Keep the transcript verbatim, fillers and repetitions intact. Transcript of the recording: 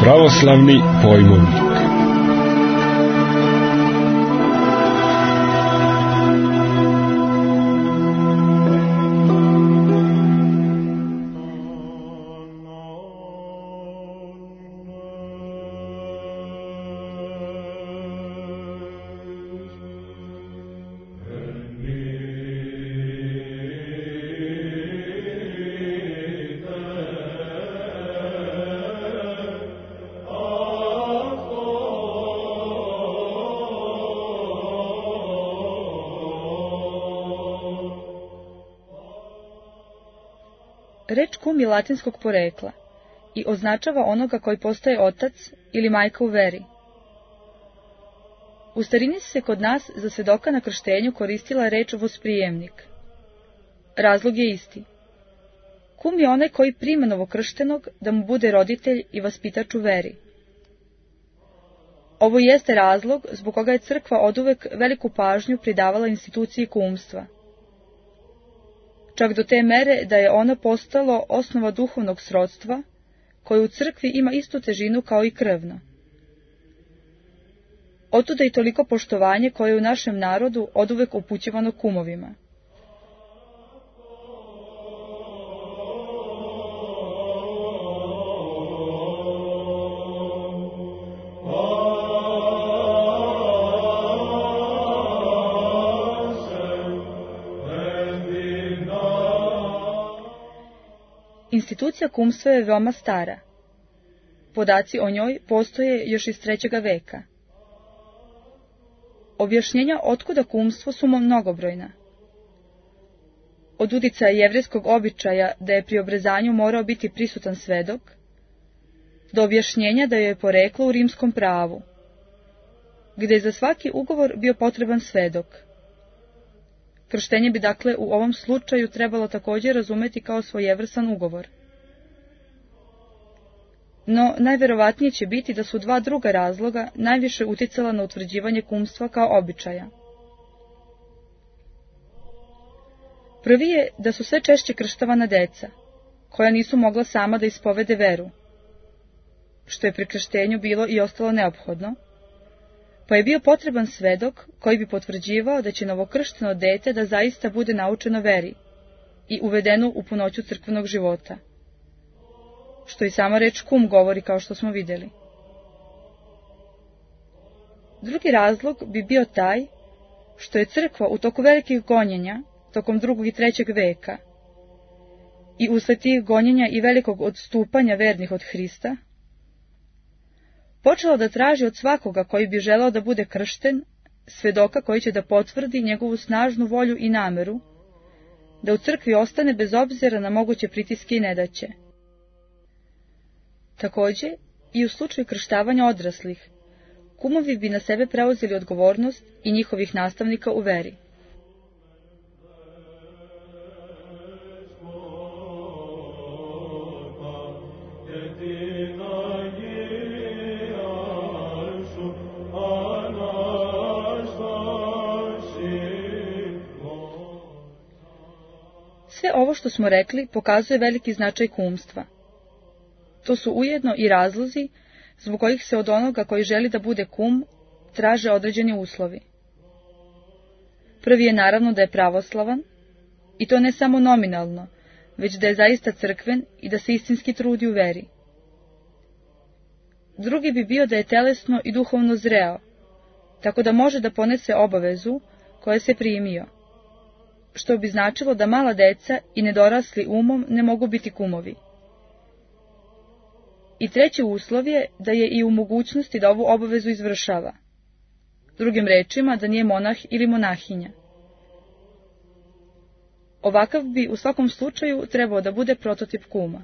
Pravoslavni pojmovnik. Reč kum je latinskog porekla i označava onoga koji postaje otac ili majka u veri. U starini se kod nas za svedoka na krštenju koristila reč vosprijemnik. Razlog je isti. Kum je onaj koji prima novokrštenog da mu bude roditelj i vaspitač u veri. Ovo jeste razlog zbog koga je crkva oduvek veliku pažnju pridavala instituciji kumstva. Čak do te mere da je ono postalo osnova duhovnog srodstva, koje u crkvi ima istu težinu kao i krvno. Otuda i toliko poštovanje koje je u našem narodu oduvek upućivano kumovima. Institucija kumstva je veoma stara. Podaci o njoj postoje još iz trećega veka. Objašnjenja otkuda kumstvo su mnogobrojna. Od uticaja jevrejskog običaja da je pri obrezanju morao biti prisutan svedok, do objašnjenja da joj je poreklo u rimskom pravu, gde je za svaki ugovor bio potreban svedok. Krštenje bi dakle u ovom slučaju trebalo također razumeti kao svojevrsan ugovor. No, najverovatnije će biti da su dva druga razloga najviše uticala na utvrđivanje kumstva kao običaja. Prvi je da su sve češće krštavana deca, koja nisu mogla sama da ispovede veru, što je pri krštenju bilo i ostalo neophodno, pa je bio potreban svedok koji bi potvrđivao da će novokršteno dete da zaista bude naučeno veri i uvedeno u punoću crkvenog života, što i sama reč kum govori kao što smo vidjeli. Drugi razlog bi bio taj što je crkva u toku velikih gonjenja, tokom drugog i trećeg veka, i usled tih gonjenja i velikog odstupanja vernih od Hrista, počela da traži od svakoga koji bi želeo da bude kršten, svedoka koji će da potvrdi njegovu snažnu volju i nameru, da u crkvi ostane bez obzira na moguće pritiske i nedaće. Također, i u slučaju krštavanja odraslih, kumovi bi na sebe preuzeli odgovornost i njihovih nastavnika u veri. Sve ovo što smo rekli pokazuje veliki značaj kumstva. To su ujedno i razlozi zbog kojih se od onoga koji želi da bude kum traže određeni uslovi. Prvi je naravno da je pravoslavan, i to ne samo nominalno, već da je zaista crkven i da se istinski trudi u veri. Drugi bi bio da je telesno i duhovno zreo, tako da može da ponese obavezu koje se primio, što bi značilo da mala deca i nedorasli umom ne mogu biti kumovi. I treći uslov je da je i u mogućnosti da ovu obavezu izvršava. Drugim rečima, da nije monah ili monahinja. Ovakav bi u svakom slučaju trebao da bude prototip kuma.